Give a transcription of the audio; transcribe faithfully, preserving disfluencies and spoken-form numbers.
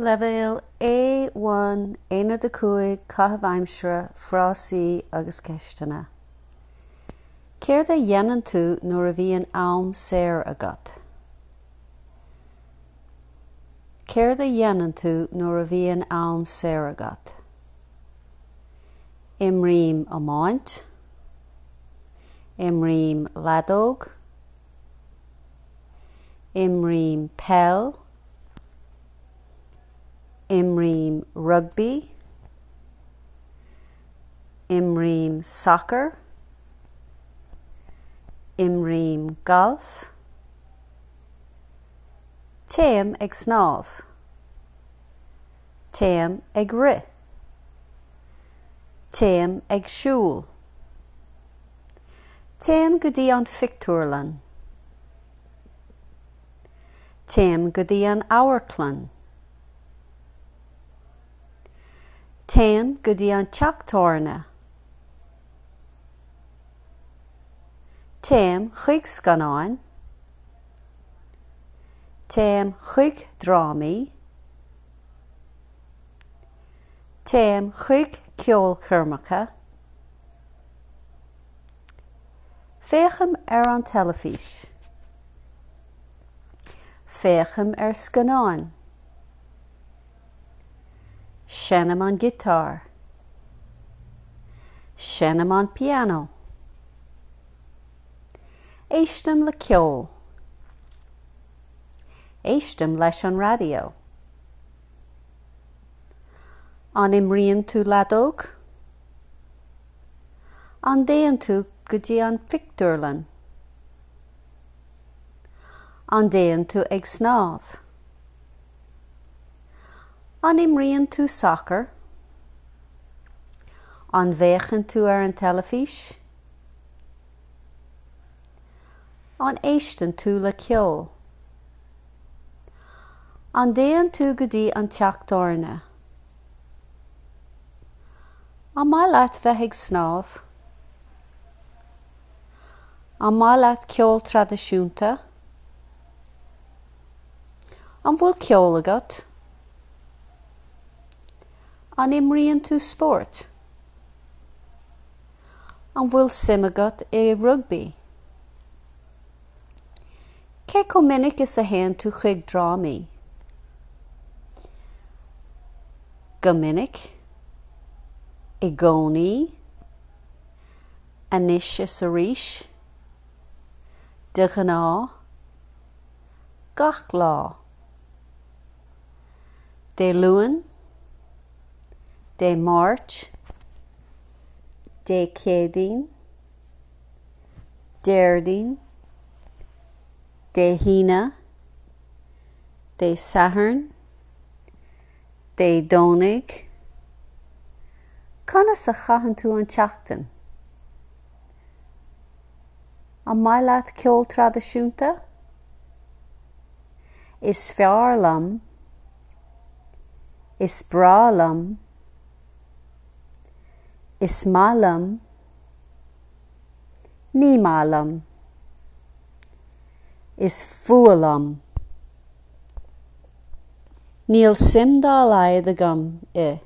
Leibhéal A one Aonad a cúig Caitheamh aimsire, frásaí agus ceisteanna. Céard a dhéanann tú nuair a bhíonn am saor agat? Céard a dhéanann tú nuair a bhíonn am saor agat? Imrím iomáint, Imrím leadóg, Imrím peil, Imrím rugbaí, Imrím sacar, Imrím galf, Téim ag snámh, Téim ag rith, Téim ag siúl, Téim go dtí an phictiúrlann, Téim go dtí an amharclann, Téim go dtí an teach tábhairne, Téim chuig scannáin, Téim chuig drámaí, Téim chuig ceolchoirmeacha, Féachaim ar an teilifís, Féachaim ar scannáin, Seinnim an giotár, Seinnim an pianó, Éistim le ceol, Éistim leis an raidió. An imríonn tú leadóg? An dtéann tú go dtí an phictiúrlann? An dtéann tú ag snámh? An imríonn tú sacar? An bhféachann tú ar an teilifís? An éisteann tú le ceol? An dtéann tú go dtí an teach tábhairne? An maith leat bheith ag snámh? An maith leat ceol traidisiúnta? An bhfuil ceol agat? An imríonn tú spórt? An bhfuil suim agat i rugbaí? Cé chomh minic is a théann tú chuig drámaí? Go minic, i gcónaí, anois is arís, de ghnáth, gach lá. Dé Luain, Dé Máirt, Dé Céadaoin, Déardaoin, Dé hAoine, Dé Sathairn, Dé Domhnaigh. Conas a chaitheann tú an tseachtain? An maith leat ceol traidisiúnta? Is fearr liom, Is breá liom, Is maith liom, Ní maith liom, Is fuath liom. Níl suim dá laghad agam i.